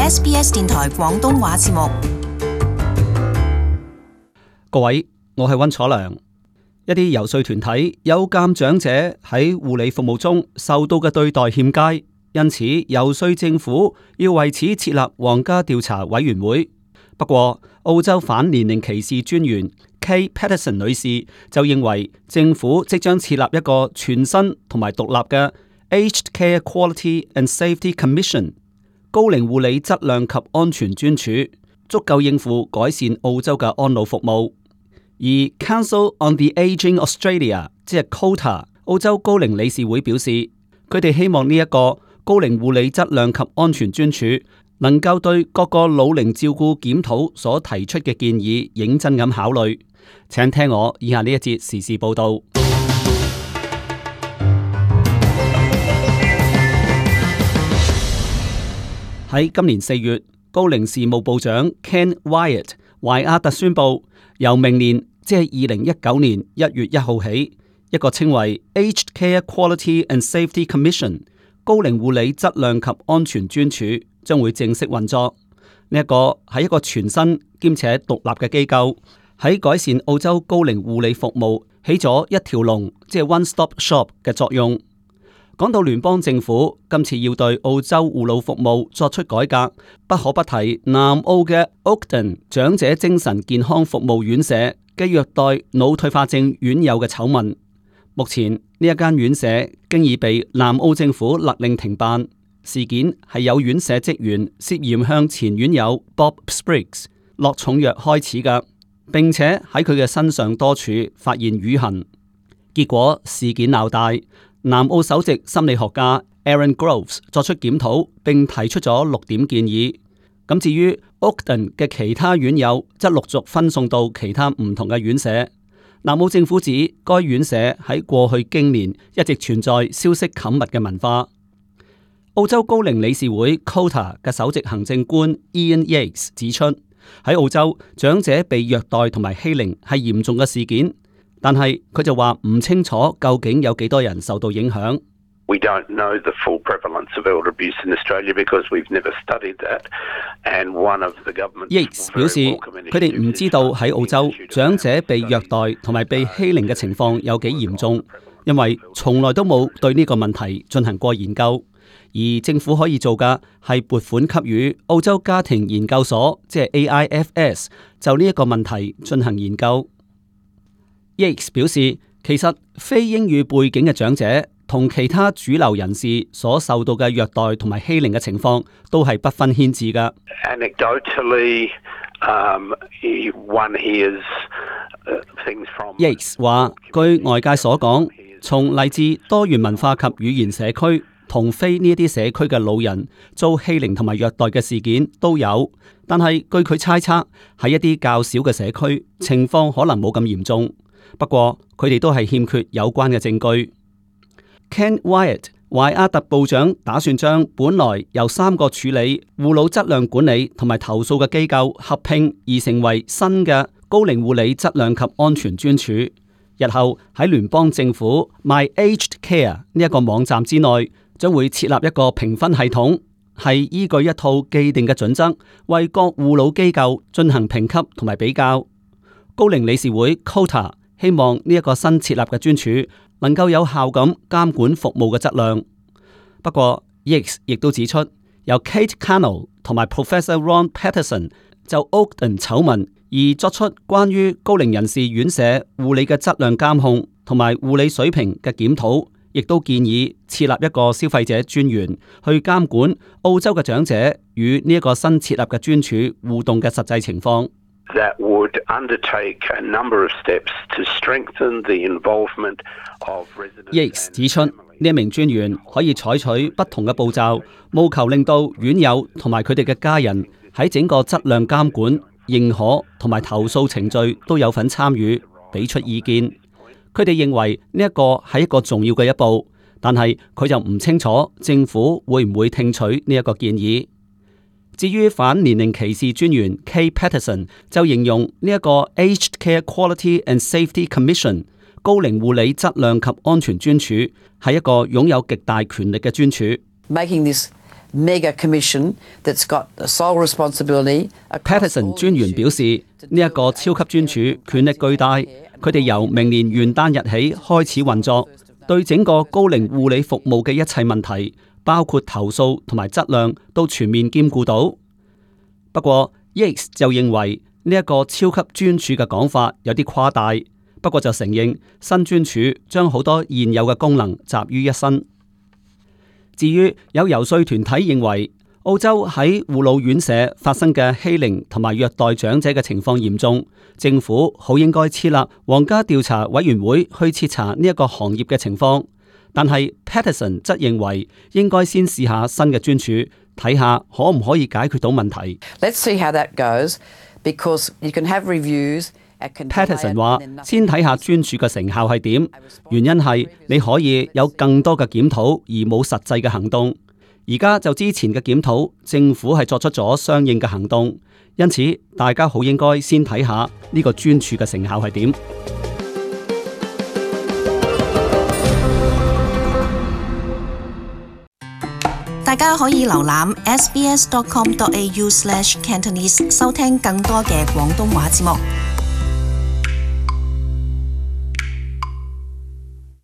SBS 電台廣東話節目。各位，我係溫楚良。一啲遊說團體有鑒長者喺護理服務中受到嘅對待欠佳，因此遊說政府要為此設立皇家調查委員會。不過，澳洲反年齡歧視專員 Kate Patterson 女士就認為政府即將設立一個全新同埋獨立嘅 Aged Care Quality and Safety Commission 高齡護理質量及安全專署，足夠應付改善澳洲嘅安老服務。而 Council on the Aging Australia 即係 COTA 澳洲高齡理事會表示，佢哋希望呢一個高齡護理質量及安全專署能夠對各個老齡照顧檢討所提出嘅建議認真咁考慮。請聽我以下呢一節時事報道。喺今年4月，高齡事務部長 Ken Wyatt 懷亞特宣布，由明年即係2019年1月1號起，一個稱為 Aged Care Quality and Safety Commission 高齡護理質量及安全專署將會正式運作。呢一個係一個全新兼且獨立嘅機構，喺改善澳洲高齡護理服務起咗一條龍，即係 One Stop Shop 嘅作用。講到聯邦政府今次要對澳洲護老服務作出改革，不可不提南澳嘅 Oakden 長者精神健康服務院舍嘅虐待腦退化症院友嘅醜聞。目前呢一間院舍經已被南澳政府勒令停辦。事件係有院舍職員涉嫌向前院友 Bob Spriggs 落重藥開始㗎，並且喺佢嘅身上多處發現瘀痕。結果事件鬧大，南澳首席心理學家 Aaron Groves 作出檢討，並提出咗6點建議。咁至於 Oakden 嘅其他院友則陸續分送到其他唔同嘅院舍。南澳政府指該院舍喺過去經年一直存在消息冚密嘅文化。澳洲高齡理事會 COTA 嘅首席行政官 Ian Yates 指出，喺澳洲長者被虐待同埋欺凌係嚴重嘅事件，但係佢就話唔清楚究竟有幾多人受到影響。We don't know the full prevalence of elder abuse in Australia because we've never studied that. And one of the government Yates 表示，佢哋唔知道喺澳洲長者被虐待同埋被欺凌嘅情況有幾嚴重，因為從來都冇對呢個問題進行過研究。而政府可以做嘅係撥款給予澳洲家庭研究所，即係 AIFS， 就呢一個問題進行研究。Yates 表示，其實非英語背景嘅長者同其他主流人士所受到嘅虐待同埋欺凌嘅情況都係不分軒輊㗎。Anecdotally, one hears things from Yates 話，據外界所講，從嚟自多元文化及語言社區同非呢一啲社區嘅老人遭欺凌同埋虐待嘅事件都有，但係據佢猜測，喺一啲較少嘅社區情況可能冇咁嚴重。不過佢哋都係欠缺有關嘅證據。Ken Wyatt 懷亞特部長打算將本來由3個處理護老質量管理同埋投訴嘅機構合併而成為新嘅高齡護理質量及安全專署。日後喺聯邦政府 My Aged Care 呢一個網站之內，將會設立一個評分系統，係依據一套既定嘅準則，為各護老機構進行評級同埋比較。高齡理事會 COTA 希望呢一個新設立嘅專署能夠有效咁監管服務嘅質量。不過 Yates 亦都指出，由 Kate Cannell 同埋 Professor Ron Patterson 就 Oakden 醜聞而作出關於高齡人士院舍護理嘅質量監控同埋護理水平嘅檢討，亦都建議設立一個消費者專員去監管澳洲嘅長者與呢一個新設立嘅專署互動嘅實際情況。That would undertake a number of steps to strengthen the involvement of residents. Yates 指出，呢一名專員可以採取不同嘅步驟，務求令到院友同埋佢哋嘅家人喺整個質量監管、認可同埋投訴程序都有份參與，俾出意見。佢哋認為呢一個係一個重要嘅一步，但係佢就唔清楚政府會唔會聽取呢一個建議。至於反年齡歧視專員 Kate Patterson 就形容呢一個 Aged Care Quality and Safety Commission 高齡護理質量及安全專署係一個擁有極大權力嘅專署。Making this mega commission that's got sole responsibility. Patterson 專員表示，呢一個超級專署權力巨大，佢哋由明年元旦日起開始運作，對整個高齡護理服務嘅一切問題，包括投訴同埋質量，都全面兼顧到。不過 Yates 就認為呢一個超級專署嘅講法有啲誇大，不過就承認新專署將好多現有嘅功能集於一身。至於有遊說團體認為澳洲喺護老院舍發生嘅欺凌同埋虐待長者嘅情況嚴重，政府好應該設立皇家調查委員會去徹查呢一個行業嘅情況。但係 Patterson 則認為應該先試下新嘅專署，睇下可唔可以解決到問題。Let's see how that goes, because you can have reviews. Patterson 話：先睇下專署嘅成效係點，原因係你可以有更多嘅檢討而冇實際嘅行動。而家就之前嘅檢討，政府係作出咗相應嘅行動，因此大家好應該先睇下呢個專署嘅成效係點。大家可以瀏覽 sbs.com.au/cantonese 收聽更多嘅廣東話節目。